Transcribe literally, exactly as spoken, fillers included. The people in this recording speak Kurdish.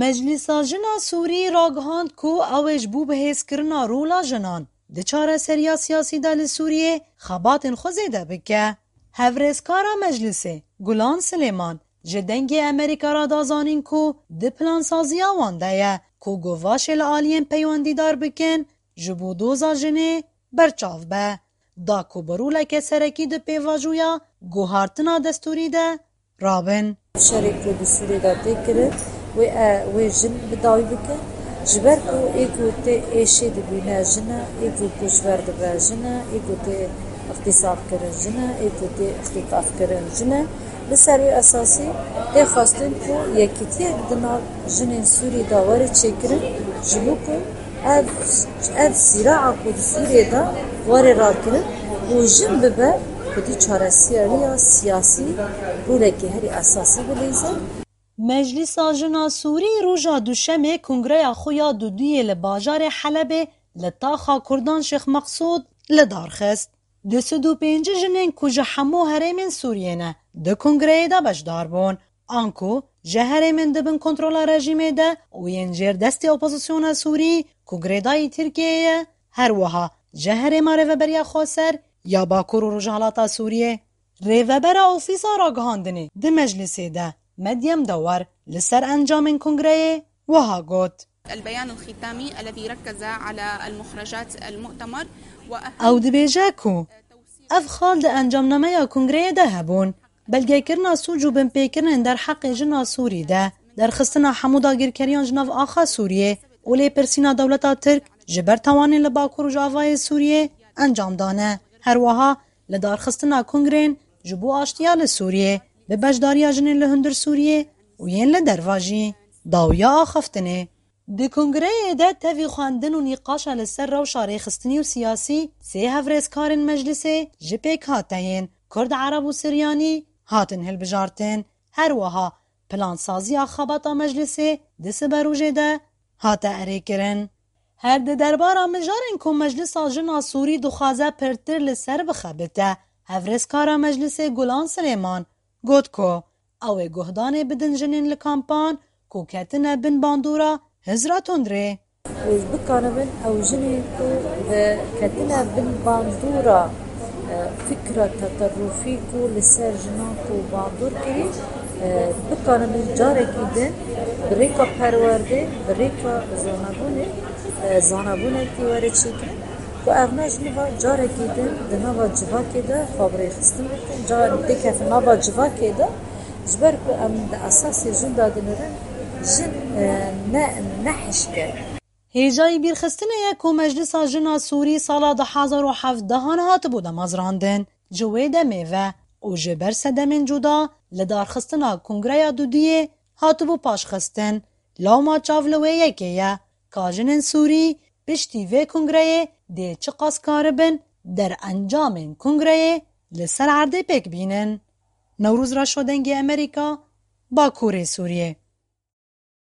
Meclisa Jina Sûrî ragihand ku ew ê ji bo bihêzkirina rola jinan di çareseriya siyasî de li Sûriyê xebatên xwe zêde bike. Hevrêzkara Meclisê Gulan Silêman ji Dengê Amerîka re da zanîn ku di plansaziya wan de ye ku guvaşê li aliyên peywendîdar bikin ji bo doza jinê berçav be, da ku bi roleke serekî di pêvajoya guhartina destûrî de rabin. Şerê ku di Sûriyê de tê kirin, wê e, wê jin bi dawî bikin. Ji ber ku ê ku tê êşê dibîne jin e, ê ku koçber dibe jin e, ê ku tê îxtîsarkirin jin e, ê ku tê îxtîtafkirin jin e. Li ser wê esasî tê xwestin ku yekîtiyek di nav jinên Sûrî de were çêkirin, ji bo ku ev, ev sîraa ku di Sûriyê de were rakirin û jin bibe ku di çareseriya siyasî rolekî herî esasî bilîze. Meclisa Jina Sûrî roja Duşemê kongreya xwe ya duduyê li bajarê Helebê li taxa Kurdan Şêx Meqsûd li dar xist. Du sed û pêncî jinên ku ji hemû herêmên Sûriyê ne, di kongreyê de beşdar bûn. Anku ji herêmên di bin kontrola rejîmê de û yên jêr destê opozisyona Sûrî ku girêdayî Tirkiyeyê ye, her wiha ji herêma Rêveberiya Xweser ya Bakur û Rojhilata Sûriyê. Rêvebera Ofîsa Ragihandinê di meclisê de Medyem Dewar li ser encamên kongreyê wiha got. البيان الختامي الذي ركز على المخرجات المؤتمر وأهم Ew dibêje ku ev xal di encamnameya kongreyê de hebûn. Belgekirina sûc û binpêkirinên derheqê jina Sûrî de, derxistina hemû dagirkeriyan ji nav axa Sûriyê û lêpirsîna dewleta Tirk ji ber tawanên li Bakur û Rojavayê Sûriyê encam dane. Her wiha li darxistina kongrên ji bo aştiya li Sûriyê, bi beşdariya jinên li hundir Sûriyê û yên li derva jî, dawiya axaftinê. Di kongreyê de tevî xwendin û nîqaşa li ser rewşa rêxistinî û siyasî sê hevrêzkarên meclisê ji pêkhateyên Kurd, Ereb û Siryanî hatin hilbijartin. Her wiha plansaziya xebata meclisê di siberojê de hate erêkirin. Her di derbara mijarên ku Meclisa Jina Sûrî dixwaze pirtir li ser bixebite, hevrêzkara Meclisê Gulan Silêman got ku ew ê guhdanê bidin jinên li kampan ku ketine bin bandora hizra tundrê. Û bikaribin ew jinên ku, e, ketine bin bandora, e, fikra teterrufî ku li ser jinan ku bandor kirî, e, bikaribin carekî din bi rêka perwerdê, bi rêka zanebûnê, e, zanebûnekî were çêkirin ku ev ne ji niva carekî din di nava civakê de xwe bi rêxistin bikin, car bikevin nava civakê de, ji ber ku em di esasê jin de dinirin, jin, e, ne, ne hişk e. Hêjayî bîrxistinê ye ku Meclisa Jina Sûrî sala du hazar û hevdehan hatibû damezrandin. Ji wê demê ve û ji ber sedemên cuda li darxistina Kongreya Dudiyê hatibû paşxistin. Lewma çav li wê yekê ye ka jinên Sûrî piştî vê kongreyê dê çiqas karibin derencamên kongreyê li ser erdê pêk bînin. Newroz Reşo, Dengê Amerîka, Bakurê Sûriyê.